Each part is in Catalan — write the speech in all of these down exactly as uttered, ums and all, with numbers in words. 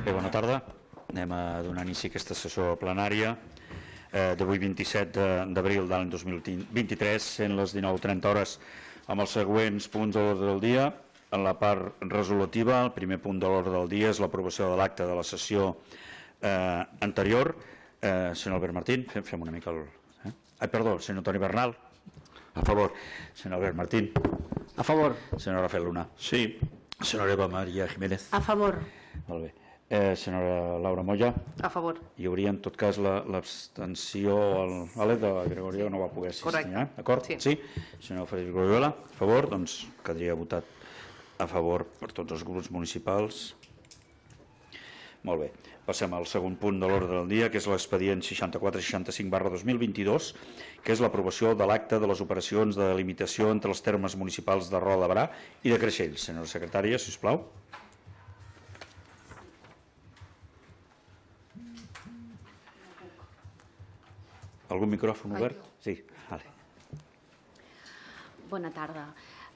Bé, bona tarda. Anem a donar inici a aquesta sessió plenària d'avui vint-i-set d'abril de l'any dos mil vint-i-tres, sent les dinou trenta hores, amb els següents punts de l'ordre del dia. En la part resolutiva, el primer punt de l'ordre del dia és l'aprovació de l'acte de la sessió anterior. Senyor Albert Martín, fem una mica el... Ai, perdó, senyor Toni Bernal. A favor. Senyor Albert Martín. A favor. Senyor Rafael Luna. Sí. Senyora Eva Maria Jiménez. A favor. Molt bé. Eh, senyora Laura Moya. A favor. Hi hauria, en tot cas, l'abstenció a l'E de Gregorio, que no va poder assistir. Correcte. D'acord? Sí. Sí. Senyor Frederic Loyola, a favor, doncs quedaria votat a favor per tots els grups municipals. Molt bé. Passem al segon punt de l'ordre del dia, que és l'expedient seixanta-quatre seixanta-cinc barra dos mil vint-i-dos, que és l'aprovació de l'acte de les operacions de delimitació entre els termes municipals de Roda de Berà i de Creixell. Senyora secretària, si us plau. Algun micròfon obert? Sí. Vale. Bona tarda.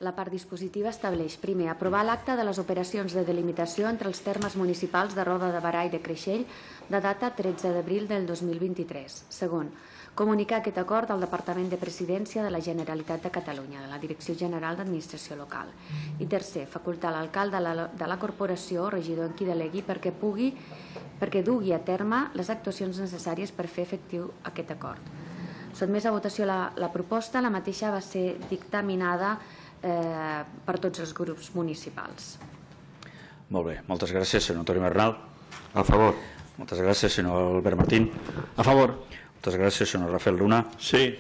La part dispositiva estableix, primer, aprovar l'acte de les operacions de delimitació entre els termes municipals de Roda de Berà i de Creixell de data tretze d'abril del dos mil vint-i-tres. Segon, comunicar aquest acord al Departament de Presidència de la Generalitat de Catalunya, de la Direcció General d'Administració Local. I tercer, facultar l'alcalde de la corporació, regidor en qui delegui, perquè pugui, perquè dugui a terme les actuacions necessàries per fer efectiu aquest acord. Sotmès a votació la, la proposta, la mateixa va ser dictaminada eh, per tots els grups municipals. Molt bé, moltes gràcies, senyor Toni Bernal. A favor. Moltes gràcies, senyor Albert Martín. A favor. Moltes gràcies, senyor Rafael Luna. Sí.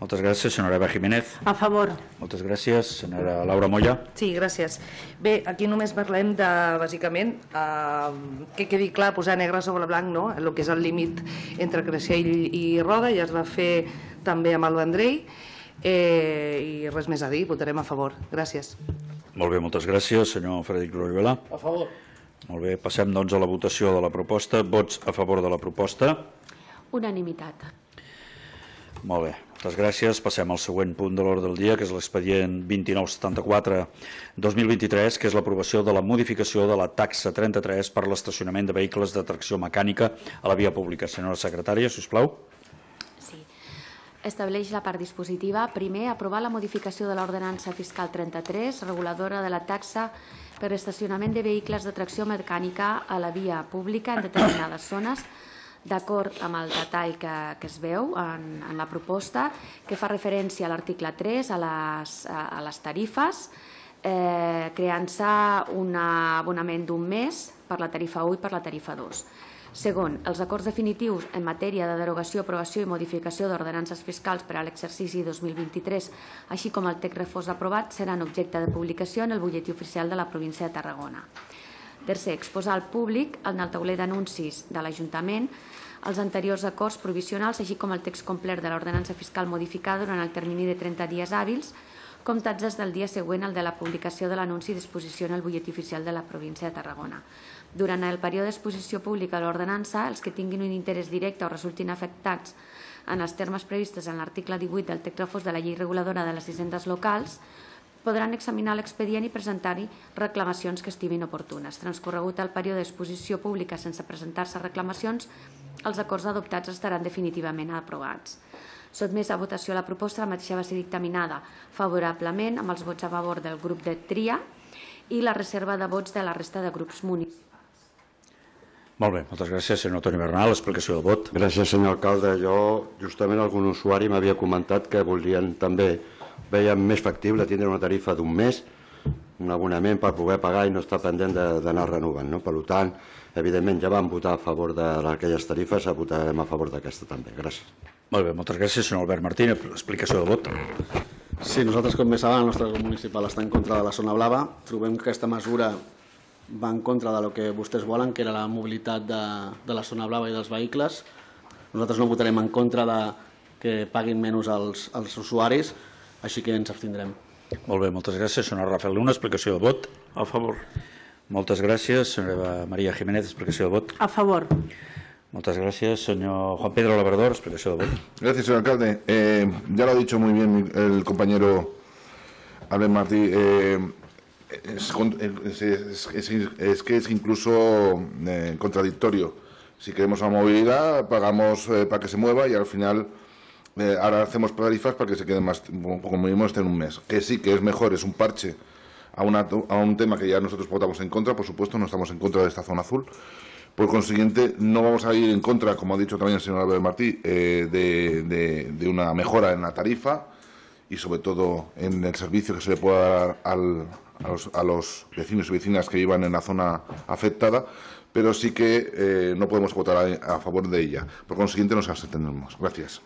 Moltes gràcies, senyora Eva Jiménez. A favor. Moltes gràcies, senyora Laura Moya. Sí, gràcies. Bé, aquí només parlem de, bàsicament, eh, que quedi clar, posar negre sobre blanc, no?, el que és el límit entre Creixell i Roda, ja es va fer també amb el Vendrell, eh, i res més a dir, votarem a favor. Gràcies. Molt bé, moltes gràcies, senyor Frederic Loyola. A favor. Molt bé, passem doncs a la votació de la proposta. Vots a favor de la proposta. Unanimitat. Molt bé, moltes gràcies. Passem al següent punt de l'ordre del dia, que és l'expedient vint-i-nou setanta-quatre dos mil vint-i-tres, que és l'aprovació de la modificació de la taxa trenta-tres per l'estacionament de vehicles de tracció mecànica a la via pública. Senyora secretària, si us plau. Sí. Estableix la part dispositiva. Primer, aprovar la modificació de l'ordenança fiscal trenta-tres, reguladora de la taxa per estacionament de vehicles de tracció mecànica a la via pública en determinades zones, d'acord amb el detall que, que es veu en, en la proposta, que fa referència a l'article tres, a les, a les tarifes, eh, creant-se un abonament d'un mes per la tarifa u i per la tarifa dos. Segon, els acords definitius en matèria de derogació, aprovació i modificació d'ordenances fiscals per a l'exercici dos mil vint-i-tres, així com el text refós aprovat, seran objecte de publicació en el butlletí oficial de la província de Tarragona. Tercer, exposar al públic en el tauler d'anuncis de l'Ajuntament els anteriors acords provisionals, així com el text complet de l'ordenança fiscal modificada durant el termini de trenta dies hàbils, comptats des del dia següent al de la publicació de l'anunci d'exposició en el butlletí oficial de la província de Tarragona. Durant el període d'exposició pública de l'ordenança, els que tinguin un interès directe o resultin afectats en els termes previstos en l'article divuit del text refós de la llei reguladora de les hisendes locals, podran examinar l'expedient i presentar-hi reclamacions que estimin oportunes. Transcorregut el període d'exposició pública sense presentar-se reclamacions, els acords adoptats estaran definitivament aprovats. Sotmès a votació la proposta, la mateixa va ser dictaminada favorablement amb els vots a favor del grup de tria i la reserva de vots de la resta de grups municipals. Molt bé, moltes gràcies, senyor Toni Bernal. Explicació de vot. Gràcies, senyor alcalde. Jo, justament, algun usuari m'havia comentat que volien també, veien més factible tindre una tarifa d'un mes, un abonament per poder pagar i no estar pendent d'anar renovant. No? Per tant, evidentment, ja vam votar a favor d'aquelles tarifes, votarem a favor d'aquesta també. Gràcies. Molt bé, moltes gràcies, senyor Albert Martín. Explicació de vot. Sí, nosaltres, com bé saben, el nostre grup municipal està en contra de la zona blava. Trobem que aquesta mesura va en contra del que vostès volen, que era la mobilitat de, de la zona blava i dels vehicles. Nosaltres no votarem en contra de que paguin menys els, els usuaris, així que ens abstindrem. Molt bé, moltes gràcies. Senyor Rafael Luna, explicació de vot. A favor. Moltes gràcies. Senyora Maria Jiménez, explicació de vot. A favor. Muchas gracias, señor Juan Pedro Labrador. Explicación de voto. Gracias, señor alcalde. Eh, ya lo ha dicho muy bien el compañero Albert Martí. Eh, es, es, es, es que es incluso eh, contradictorio. Si queremos una movilidad, pagamos eh, para que se mueva y al final eh, ahora hacemos tarifas para que se quede más, como mínimo esté en un mes. Que sí, que es mejor, es un parche a, una, a un tema que ya nosotros votamos en contra, por supuesto, no estamos en contra de esta zona azul. Por consiguiente, no vamos a ir en contra, como ha dicho también el señor Albert Martí, eh, de, de, de una mejora en la tarifa y sobre todo en el servicio que se le pueda dar al, a, los, a los vecinos y vecinas que vivan en la zona afectada, pero sí que eh, no podemos votar a, a favor de ella. Por consiguiente, nos abstendremos. Gràcies.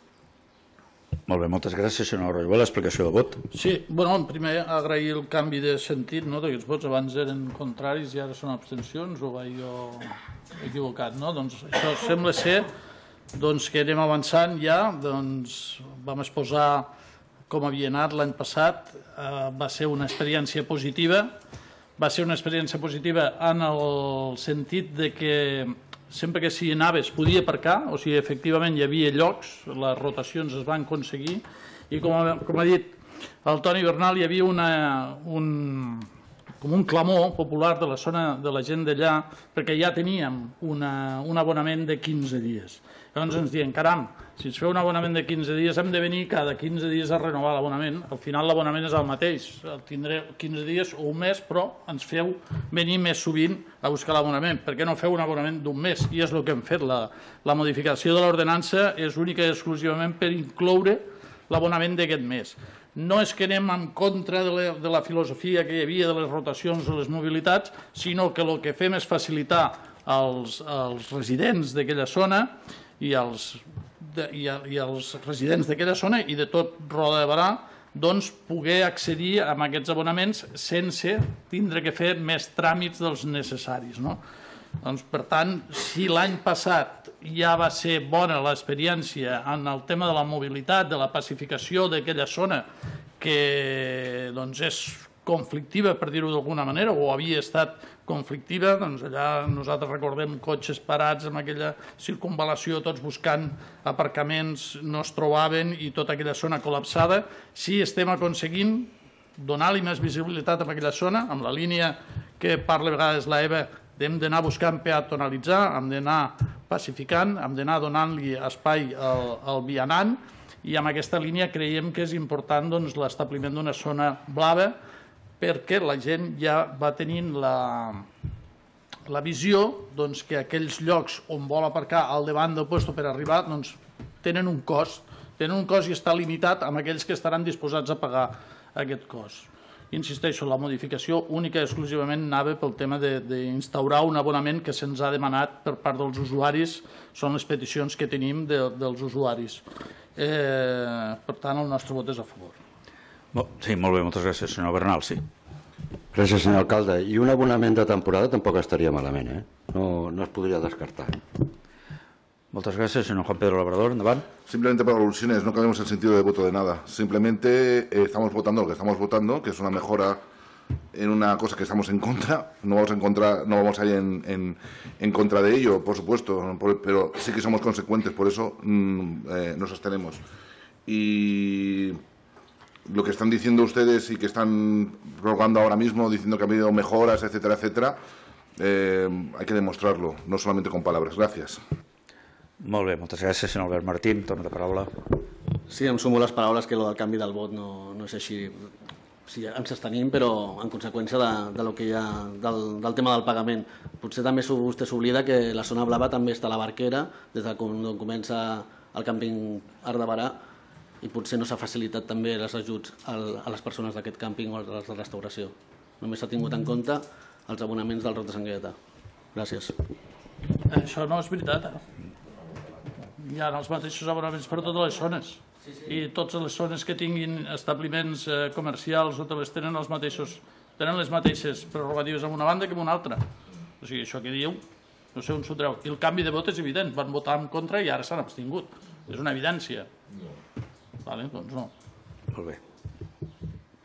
Molt bé, moltes gràcies, senyor Roigó. L'explicació de vot. Sí, bueno, primer agrair el canvi de sentit, no?, d'aquests vots. Abans eren contraris i ara són abstencions, o vaig jo equivocat, no? Doncs això sembla ser doncs, que anem avançant ja. Doncs vam exposar com havia anat l'any passat. Eh, va ser una experiència positiva. Va ser una experiència positiva en el sentit de que sempre que s'hi anava es podia aparcar, o sigui, efectivament hi havia llocs, les rotacions es van aconseguir, i com ha, com ha dit el Toni Bernal, hi havia una, un, com un clamor popular de la zona de la gent d'allà, perquè ja teníem una, un abonament de quinze dies. Llavors ens diuen, caram, si ens feu un abonament de quinze dies hem de venir cada quinze dies a renovar l'abonament. Al final l'abonament és el mateix, el tindré quinze dies o un mes, però ens feu venir més sovint a buscar l'abonament. Per què no feu un abonament d'un mes? I és el que hem fet. La, la modificació de l'ordenança és única i exclusivament per incloure l'abonament d'aquest mes. No és que anem en contra de la, de la filosofia que hi havia de les rotacions de les mobilitats, sinó que el que fem és facilitar als, als residents d'aquella zona i als, de, i, a, i als residents d'aquella zona i de tot Roda de Berà doncs, poder accedir a aquests abonaments sense tindre que fer més tràmits dels necessaris. No? Doncs, per tant, si l'any passat ja va ser bona l'experiència en el tema de la mobilitat, de la pacificació d'aquella zona, que doncs, és conflictiva, per dir-ho d'alguna manera, o havia estat conflictiva, doncs allà nosaltres recordem cotxes parats amb aquella circunvalació, tots buscant aparcaments, no es trobaven i tota aquella zona col·lapsada. Sí, estem aconseguint donar-li més visibilitat a aquella zona, amb la línia que parla a vegades l'Eva, hem d'anar buscant peatonalitzar, hem d'anar pacificant, hem d'anar donant-li espai al, al vianant, i amb aquesta línia creiem que és important doncs, l'establiment d'una zona blava, perquè la gent ja va tenint la, la visió doncs, que aquells llocs on vol aparcar al davant del lloc per arribar doncs, tenen un cost, tenen un cost i està limitat amb aquells que estaran disposats a pagar aquest cost. Insisteixo, la modificació única i exclusivament anava pel tema d'instaurar un abonament que se'ns ha demanat per part dels usuaris, són les peticions que tenim de, dels usuaris. Eh, per tant, el nostre vot és a favor. Sí, molt bé, moltes gràcies, senyor Bernal, sí. Gràcies, senyor alcalde. I un abonament de temporada tampoc estaria malament, eh? No, no es podria descartar. Muchas gracias, señor Juan Pedro Labrador. ¿Endavant? Simplemente para alusiones, no cambiamos el sentido de voto de nada. Simplemente eh, estamos votando lo que estamos votando, que es una mejora en una cosa que estamos en contra. No vamos a, encontrar, no vamos a ir en, en, en contra de ello, por supuesto, por, pero sí que somos consecuentes, por eso mmm, eh, nos abstenemos. Y lo que están diciendo ustedes y que están rogando ahora mismo, diciendo que ha habido mejoras, etcétera, etcétera, eh, hay que demostrarlo, no solamente con palabras. Gracias. Molt bé, moltes gràcies, senyor Albert Martín. Torna la paraula. Sí, em sumo les paraules que el canvi del vot no, no és així. Sí, ens abstenim, però en conseqüència de, de lo que hi ha, del, del tema del pagament. Potser també vostè s'oblida que la zona blava també està a la Barquera, des de quan comença el càmping Arc de Berà, i potser no s'ha facilitat també els ajuts a les persones d'aquest càmping o a les de restauració. Només s'ha tingut en compte els abonaments del Roc de Sant Gaietà. Gràcies. Això no és veritat, eh? Hi ha els mateixos abonaments per a totes les zones. Sí, sí. I totes les zones que tinguin establiments eh, comercials o hotelers tenen, els mateixos, tenen les mateixes prerrogatives en una banda que en una altra. O sigui, això que diu, no sé on s'ho treu. I el canvi de vot és evident. Van votar en contra i ara s'han abstingut. És una evidència. No. Vale, doncs no. Molt bé.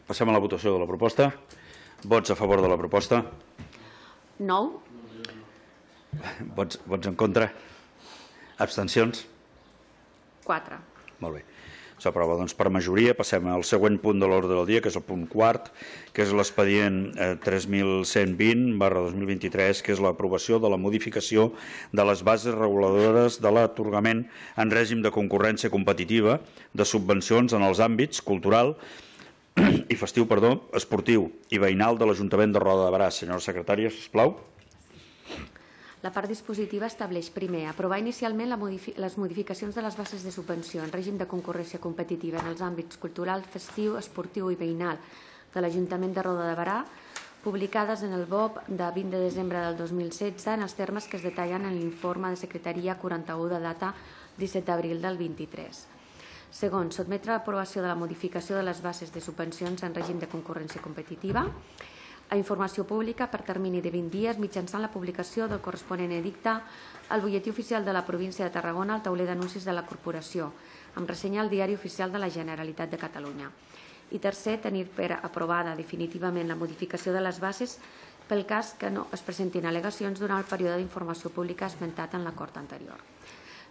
Passem a la votació de la proposta. Vots a favor de la proposta? Nou. Vots, vots en contra? Abstencions? Quatre. Molt bé. S'aprova doncs, per majoria. Passem al següent punt de l'ordre del dia, que és el punt quart, que és l'expedient tres mil cent vint barra dos mil vint-i-tres, que és l'aprovació de la modificació de les bases reguladores de l'atorgament en règim de concurrència competitiva de subvencions en els àmbits cultural i festiu, perdó, esportiu i veïnal de l'Ajuntament de Roda de Berà. Senyora secretària, sisplau. La part dispositiva estableix, primer, aprovar inicialment la modifi les modificacions de les bases de subvenció en règim de concurrència competitiva en els àmbits cultural, festiu, esportiu i veïnal de l'Ajuntament de Roda de Berà, publicades en el B O P de vint de desembre del dos mil setze en els termes que es detallen en l'informe de secretaria quaranta-u de data disset d'abril del vint-i-tres. Segon, sotmetre a l'aprovació de la modificació de les bases de subvencions en règim de concurrència competitiva a informació pública per termini de vint dies mitjançant la publicació del corresponent edicte al butlletí oficial de la província de Tarragona al tauler d'anuncis de la corporació, amb ressenya al diari oficial de la Generalitat de Catalunya. I tercer, tenir per aprovada definitivament la modificació de les bases pel cas que no es presentin al·legacions durant el període d'informació pública esmentat en l'acord anterior.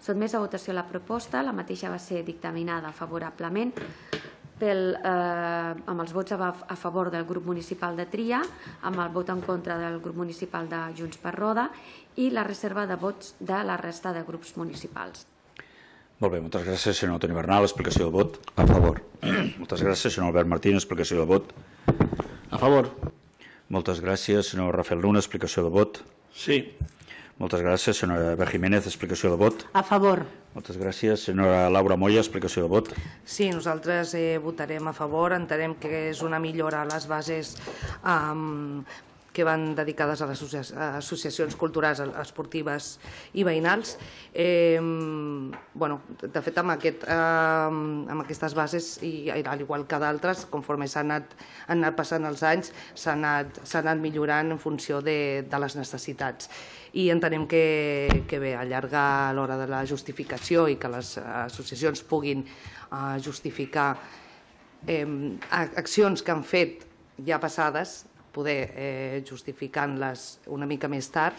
Sotmès a votació la proposta, la mateixa va ser dictaminada favorablement pel, eh, amb els vots a, a favor del grup municipal de Tria, amb el vot en contra del grup municipal de Junts per Roda i la reserva de vots de la resta de grups municipals. Molt bé, moltes gràcies, senyor Toni Bernal. Explicació de vot. A favor. Moltes gràcies, senyor Albert Martín. Explicació de vot. A favor. Moltes gràcies, senyor Rafael Luna. Explicació de vot. Sí. Moltes gràcies, senyora Eva Jiménez. Explicació de vot. A favor. Moltes gràcies, senyora Laura Moya. Explicació de vot. Sí, nosaltres eh, votarem a favor. Entenem que és una millora a les bases um, que van dedicades a les associacions culturals, esportives i veïnals. Eh, bueno, de fet, amb, aquest, eh, amb aquestes bases, i al igual que d'altres, conforme s'han anat, han anat passant els anys, s'han anat, anat millorant en funció de, de les necessitats. I entenem que, que bé, allargar l'hora de la justificació i que les associacions puguin eh, justificar eh, accions que han fet ja passades, poder eh, justificant-les una mica més tard,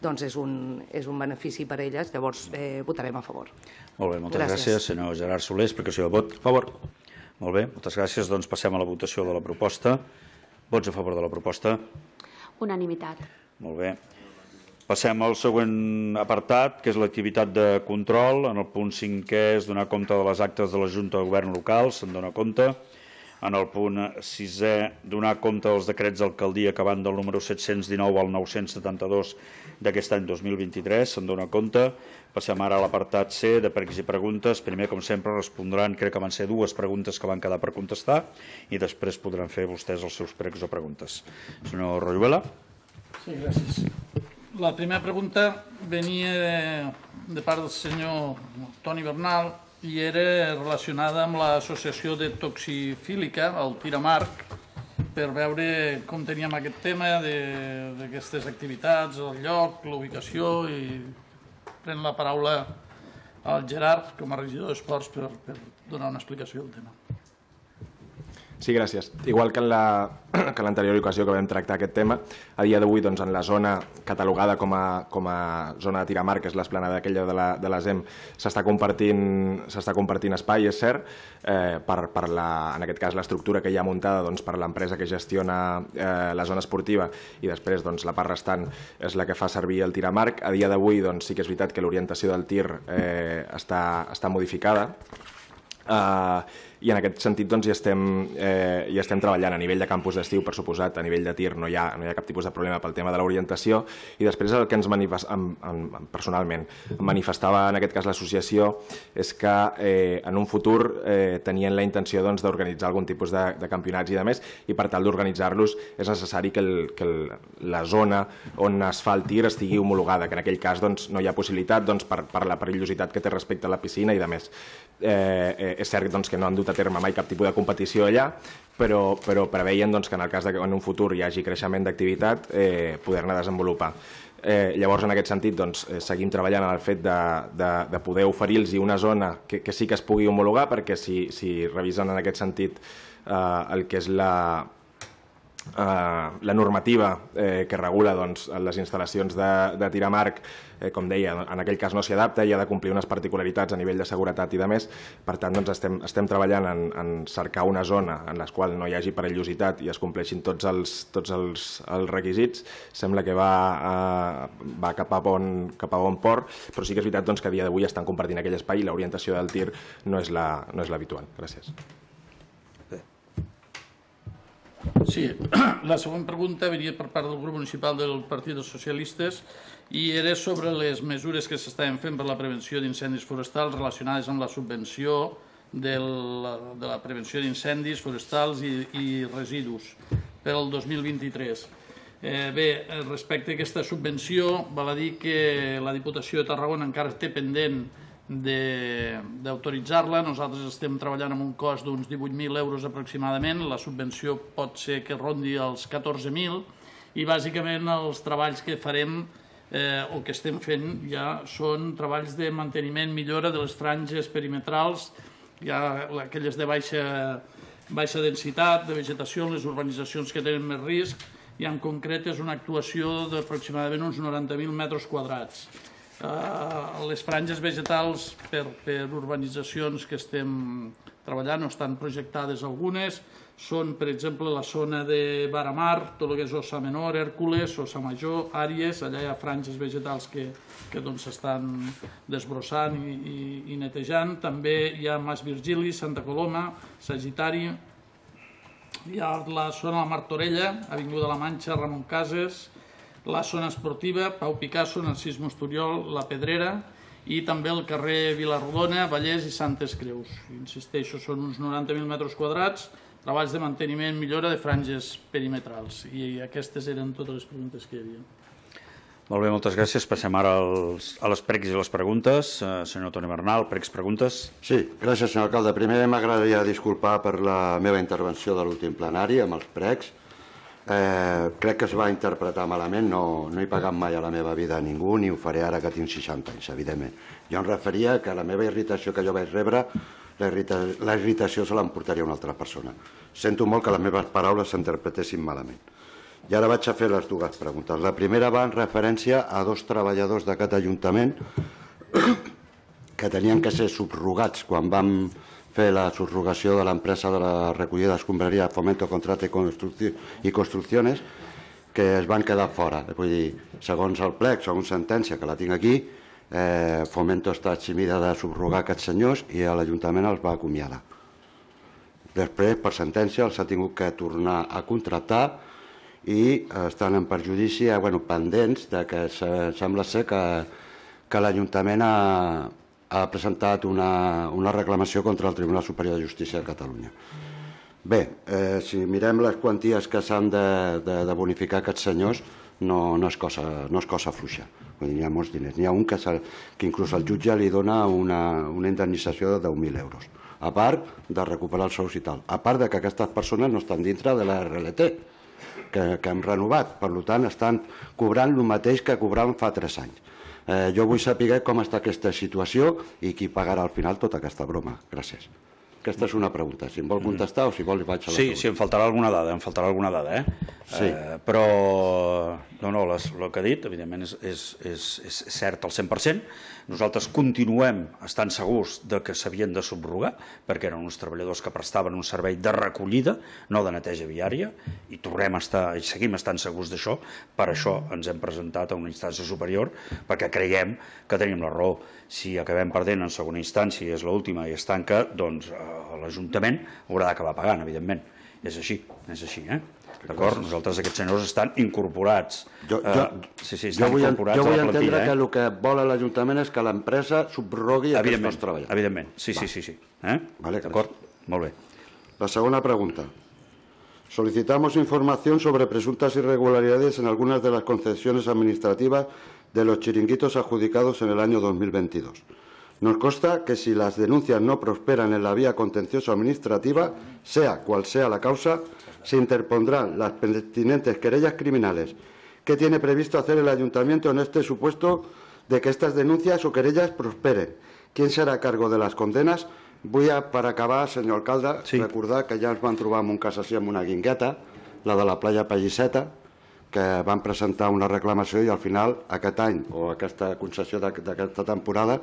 doncs és un, és un benefici per a elles, llavors eh, votarem a favor. Molt bé, moltes gràcies. Gràcies. Senyor Gerard Soler, explicació de vot. A favor. Molt bé, moltes gràcies. Doncs passem a la votació de la proposta. Vots a favor de la proposta. Unanimitat. Molt bé. Passem al següent apartat, que és l'activitat de control. En el punt cinquè és donar compte de les actes de la Junta de Govern local, se'n dona compte. En el punt sisè, donar compte dels decrets d'alcaldia que van del número set-cents dinou al nou-cents setanta-dos d'aquest any dos mil vint-i-tres, se'n dona compte. Passem ara a l'apartat C, de pregs i preguntes. Primer, com sempre, respondran, crec que van ser dues preguntes que van quedar per contestar, i després podran fer vostès els seus pregs o preguntes. Senyor Royuela. Sí, gràcies. La primera pregunta venia de, de part del senyor Toni Bernal i era relacionada amb l'associació de toxifílica, el Tiramarc, per veure com teníem aquest tema d'aquestes activitats, el lloc, l'ubicació, i pren la paraula al Gerard, com a regidor d'Esports, per, per donar una explicació del tema. Sí, gràcies. Igual que en l'anterior ocasió que vam tractar aquest tema, a dia d'avui doncs, en la zona catalogada com a, com a zona de Tiramar, que és l'esplanada aquella de la, de la ZEM, s'està compartint, s'està compartint espai, és cert, eh, per, per la, en aquest cas l'estructura que hi ha muntada doncs, per l'empresa que gestiona eh, la zona esportiva, i després doncs, la part restant és la que fa servir el Tiramarc. A dia d'avui doncs, sí que és veritat que l'orientació del tir eh, està, està modificada, Uh, i en aquest sentit doncs, hi, estem, eh, hi estem treballant a nivell de campus d'estiu, per suposat, a nivell de tir no hi ha, no hi ha cap tipus de problema pel tema de l'orientació, i després el que ens manifest, en, en, personalment em manifestava en aquest cas l'associació és que eh, en un futur eh, tenien la intenció doncs, d'organitzar algun tipus de, de campionats i de més, i per tal d'organitzar-los és necessari que, el, que el, la zona on es fa el tir estigui homologada, que en aquell cas doncs, no hi ha possibilitat doncs, per, per la perillositat que té respecte a la piscina i de més. Eh, eh, és cert doncs, que no han dut a terme mai cap tipus de competició allà, però, però preveien doncs, que en el cas de que en un futur hi hagi creixement d'activitat, eh, poder-ne desenvolupar. Eh, llavors, en aquest sentit, doncs, eh, seguim treballant en el fet de, de, de poder oferir-los una zona que, que sí que es pugui homologar, perquè si, si revisen en aquest sentit eh, el que és la, la normativa que regula les instal·lacions de tir amb arc, com deia, en aquell cas no s'hi adapta i ha de complir unes particularitats a nivell de seguretat i de més. Per tant, estem treballant en cercar una zona en la qual no hi hagi perillositat i es compleixin tots els requisits. Sembla que va cap a bon port, però sí que és veritat que a dia d'avui estan compartint aquell espai i l'orientació del tir no és l'habitual. Gràcies. Sí, la següent pregunta venia per part del grup municipal del Partit dels Socialistes i era sobre les mesures que s'estaven fent per la prevenció d'incendis forestals relacionades amb la subvenció de la prevenció d'incendis forestals i residus per al dos mil vint-i-tres. Bé, respecte a aquesta subvenció, val a dir que la Diputació de Tarragona encara té pendent d'autoritzar-la. Nosaltres estem treballant amb un cost d'uns divuit mil euros aproximadament. La subvenció pot ser que rondi els catorze mil i bàsicament els treballs que farem o que estem fent ja són treballs de manteniment, millora de les franges perimetrals, ja aquelles de baixa densitat, de vegetació, les urbanitzacions que tenen més risc, i en concret és una actuació d'aproximadament uns noranta mil metres quadrats. Les franges vegetals per urbanitzacions que estem treballant, o estan projectades algunes, són, per exemple, la zona de Baramar, tot el que és Ossa Menor, Hèrcules, Ossa Major, Àries, allà hi ha franges vegetals que s'estan desbrossant i netejant. També hi ha Mas Virgili, Santa Coloma, Sagitari, hi ha la zona de la Martorella, Avinguda La Manxa, Ramon Cases, la zona esportiva, Pau Picasso, Narcís Mosturiol, La Pedrera i també el carrer Vilarrodona, Vallès i Santes Creus. Insisteixo, són uns noranta mil metres quadrats, treballs de manteniment, millora de franges perimetrals. I aquestes eren totes les preguntes que hi havia. Molt bé, moltes gràcies. Passem ara a les pregs i les preguntes. Senyor Toni Bernal, pregs, preguntes. Sí, gràcies, senyor alcalde. Primer m'agradaria disculpar per la meva intervenció de l'últim plenari amb els pregs. Crec que es va interpretar malament, no he pagat mai a la meva vida a ningú, ni ho faré ara que tinc seixanta anys, evidentment. Jo em referia que la meva irritació que jo vaig rebre, la irritació se l'emportaria una altra persona. Sento molt que les meves paraules s'interpretessin malament. I ara vaig a fer les dues preguntes. La primera va en referència a dos treballadors d'aquest Ajuntament que tenien que ser subrogats quan vam fer la subrogació de l'empresa de la recollida d'escombraria Fomento Contrate i Construcciones, que es van quedar fora. Vull dir, segons el plec, segons sentència, que la tinc aquí, Fomento està eximida de subrogar aquests senyors i l'Ajuntament els va acomiadar. Després, per sentència, els ha tingut que tornar a contractar i estan en perjudici, pendents, que sembla ser que l'Ajuntament ha presentat una reclamació contra el Tribunal Superior de Justícia de Catalunya. Bé, si mirem les quanties que s'han de bonificar aquests senyors, no és cosa fluixa. Hi ha molts diners. N'hi ha un que inclús el jutge li dona una indemnització de deu mil euros, a part de recuperar els sous i tal. A part que aquestes persones no estan dintre de la R L T, que hem renovat. Per tant, estan cobrant el mateix que cobraven fa tres anys. Jo vull saber com està aquesta situació i qui pagarà al final tota aquesta broma. Gràcies. Aquesta és una pregunta. Si em vol contestar o si vol li vaig a la segona. Sí, sí, em faltarà alguna dada, em faltarà alguna dada, eh? Sí. Però, no, no, el que ha dit, evidentment, és cert al cent per cent. Nosaltres continuem estant segurs que s'havien de subrogar, perquè eren uns treballadors que prestaven un servei de recollida, no de neteja viària, i tornem a estar, i seguim estant segurs d'això. Per això ens hem presentat a una instància superior, perquè creiem que tenim la raó. Si acabem perdent en segona instància i és l'última i es tanca, doncs l'Ajuntament haurà d'acabar pagant, evidentment. És així, és així, eh? D'acord? Nosaltres, aquests senyors estan incorporats. Jo vull entendre que el que vol l'Ajuntament és que l'empresa subrogui aquests treballadors. Evidentment, sí, sí, sí. D'acord? Molt bé. La segona pregunta. Solicitamos información sobre presuntas irregularidades en algunas de las concesiones administrativas de los chiringuitos adjudicados en el año dos mil veintidós. Nos consta que si las denuncias no prosperan en la vía contencioso administrativa, sea cual sea la causa, se interpondrán las pertinentes querellas criminales. ¿Qué tiene previsto hacer el Ayuntamiento en este supuesto de que estas denuncias o querellas prosperen? ¿Quién será a cargo de las condenas? Vull, per acabar, senyor alcalde, recordar que ja ens vam trobar en un cas així amb una guingueta, la de la platja Pallisseta, que van presentar una reclamació i al final aquest any o aquesta concessió d'aquesta temporada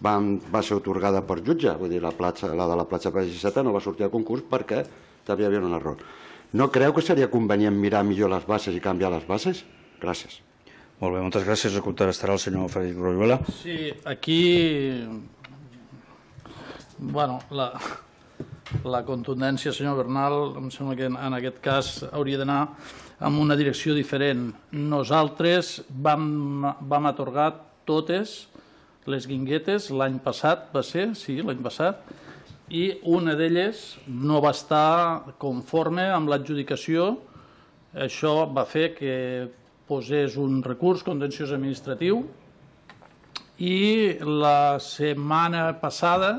van, va ser otorgada per jutge, vull dir, la, platja, la de la platja Pallisseta no va sortir a concurs perquè hi havia un error. No creu que seria convenient mirar millor les bases i canviar les bases? Gràcies. Molt bé, moltes gràcies. A contestarà el senyor Frederic Royuela. Sí, aquí... Bueno, la, la contundència, senyor Bernal, em sembla que en aquest cas hauria d'anar en una direcció diferent. Nosaltres vam, vam atorgar totes les guinguetes l'any passat, va ser, sí, l'any passat, i una d'elles no va estar conforme amb l'adjudicació. Això va fer que posés un recurs contenciós administratiu i la setmana passada,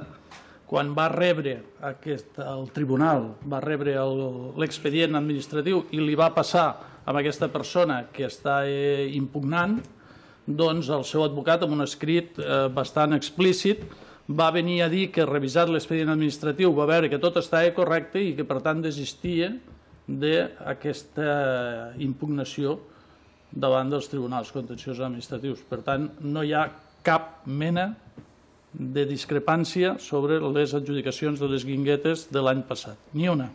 quan va rebre aquest, el tribunal, va rebre l'expedient administratiu i li va passar a aquesta persona que està eh, impugnant, doncs el seu advocat, amb un escrit eh, bastant explícit, va venir a dir que revisat l'expedient administratiu va veure que tot estava correcte i que per tant desistia d'aquesta impugnació davant dels tribunals contenciosos administratius. Per tant, no hi ha cap mena de discrepància sobre les adjudicacions de les guinguetes de l'any passat, ni una.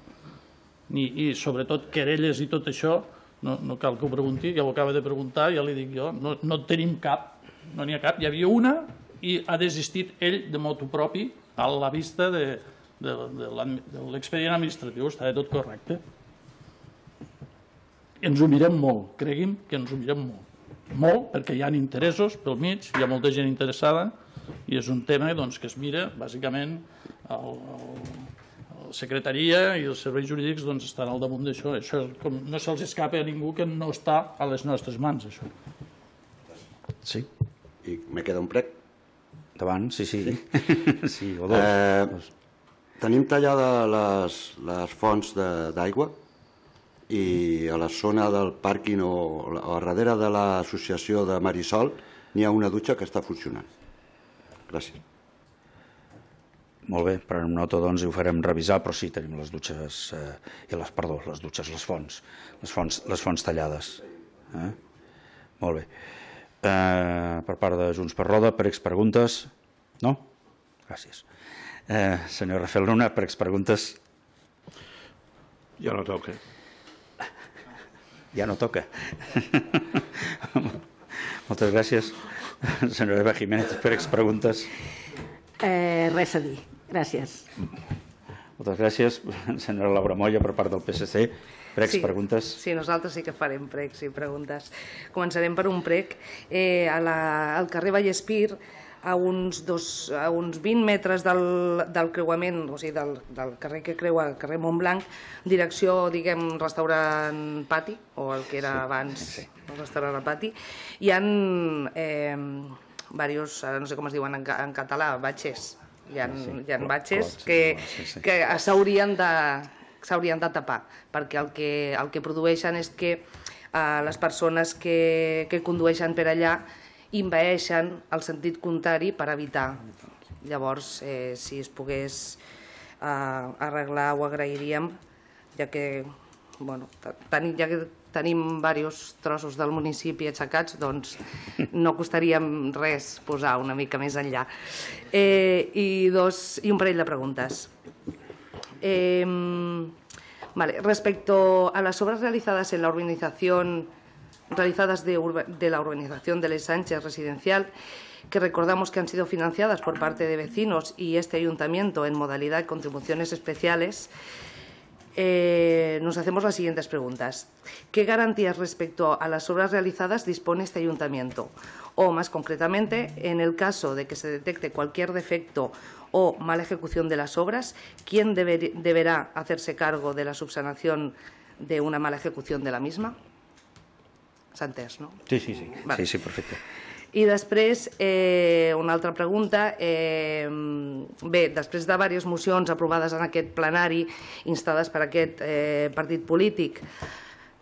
Ni, I sobretot querelles i tot això, no, no cal que ho pregunti, ja ho acaba de preguntar, ja li dic jo, no, no tenim cap, no n'hi ha cap, hi havia una i ha desistit ell de motu propi a la vista de, de, de l'expedient administratiu, estava tot correcte. Ens ho mirem molt, cregui'm que ens ho mirem molt. Molt, perquè hi ha interessos pel mig, hi ha molta gent interessada, i és un tema doncs, que es mira, bàsicament, la secretaria i els serveis jurídics doncs, estan al damunt d'això. Això com, no se'ls escapa a ningú que no està a les nostres mans, això. Sí. I me queda un prec. Endavant, sí, sí. Sí, sí o dos. Eh, tenim tallades les, les fonts d'aigua i a la zona del pàrquing o a darrere de l'associació de Marisol n'hi ha una dutxa que està funcionant. Gràcies. Molt bé, prenem nota, doncs, i ho farem revisar, però sí, tenim les dutxes, eh, i les, perdó, les dutxes, les fonts, les fonts, les fonts tallades. Eh? Molt bé. Eh, per part de Junts per Roda, per expreguntes? No? Gràcies. Eh, senyor Rafael Luna, per expreguntes? Ja no toca. Ja no toca. Moltes gràcies. Senyora Eva Jiménez, per expreguntes? Eh, res a dir. Gràcies. Moltes gràcies. Senyora Laura Moya, per part del P S C, per expreguntes? Sí, sí, nosaltres sí que farem pregs i preguntes. Començarem per un prec. Eh, a la, al carrer Vallespir, a uns, dos, a uns vint metres del, del creuament, o sigui, del, del carrer que creua el carrer Montblanc, direcció, diguem, restaurant Pati, o el que era abans sí, sí. el restaurant Pati, hi ha eh, diversos, ara no sé com es diuen en, en català, batxes, hi ha, sí, hi ha batxes que, sí, sí. que s'haurien de, s'haurien de tapar, perquè el que, el que produeixen és que eh, les persones que, que condueixen per allà invaeixen el sentit contrari per evitar. Llavors, eh, si es pogués eh, arreglar, ho agrairíem, ja que, bueno, ten, ja que tenim diversos trossos del municipi aixecats, doncs no costaria res posar una mica més enllà. Eh, i, dos, I un parell de preguntes. Eh, vale, respecto a las obras realizadas en la urbanización realizadas de, de la urbanización de Les Sánchez residencial, que recordamos que han sido financiadas por parte de vecinos y este ayuntamiento en modalidad de contribuciones especiales, eh, nos hacemos las siguientes preguntas. ¿Qué garantías respecto a las obras realizadas dispone este ayuntamiento? O, más concretamente, en el caso de que se detecte cualquier defecto o mala ejecución de las obras, ¿quién deber, deberá hacerse cargo de la subsanación de una mala ejecución de la misma? S'ha entès, no? Sí, sí, sí, vale. sí, sí, perfecte. I després, eh, una altra pregunta. Eh, bé, després de diverses mocions aprovades en aquest plenari, instades per aquest eh, partit polític,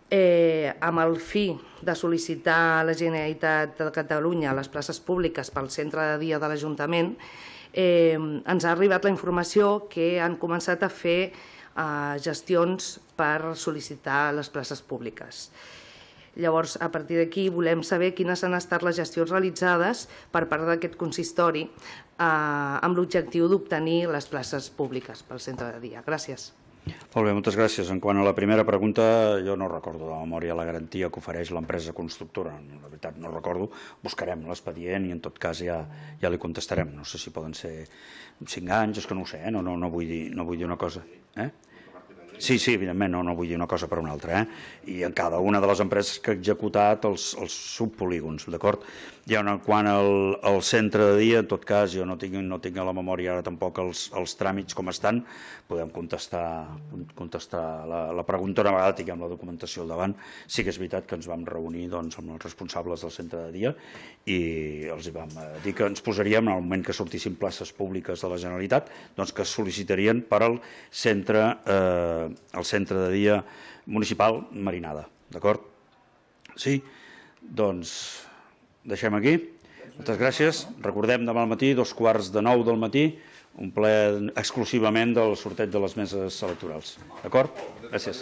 eh, amb el fi de sol·licitar a la Generalitat de Catalunya les places públiques pel centre de dia de l'Ajuntament, eh, ens ha arribat la informació que han començat a fer gestions per sol·licitar les places públiques. Llavors, a partir d'aquí, volem saber quines han estat les gestions realitzades per part d'aquest consistori amb l'objectiu d'obtenir les places públiques pel centre de dia. Gràcies. Molt bé, moltes gràcies. En quant a la primera pregunta, jo no recordo de memòria la garantia que ofereix l'empresa constructora. La veritat, no recordo. Buscarem l'expedient i en tot cas ja ja li contestarem. No sé si poden ser cinc anys, és que no ho sé, no vull dir una cosa. Sí, sí, evidentment, no vull dir una cosa per una altra. I en cada una de les empreses que ha executat els subpolígons, d'acord? I en quant al centre de dia, en tot cas, jo no tinc a la memòria ara tampoc els tràmits com estan, podem contestar la pregunta una vegada tinguem la documentació al davant. Sí que és veritat que ens vam reunir amb els responsables del centre de dia i els vam dir que ens posaríem, en el moment que sortissin places públiques de la Generalitat, que es sol·licitarien per al centre al centre de dia municipal Marinada, d'acord? Sí? Doncs deixem aquí. Moltes gràcies. Recordem demà al matí, dos quarts de nou del matí, un ple exclusivament del sorteig de les meses electorals. D'acord? Gràcies.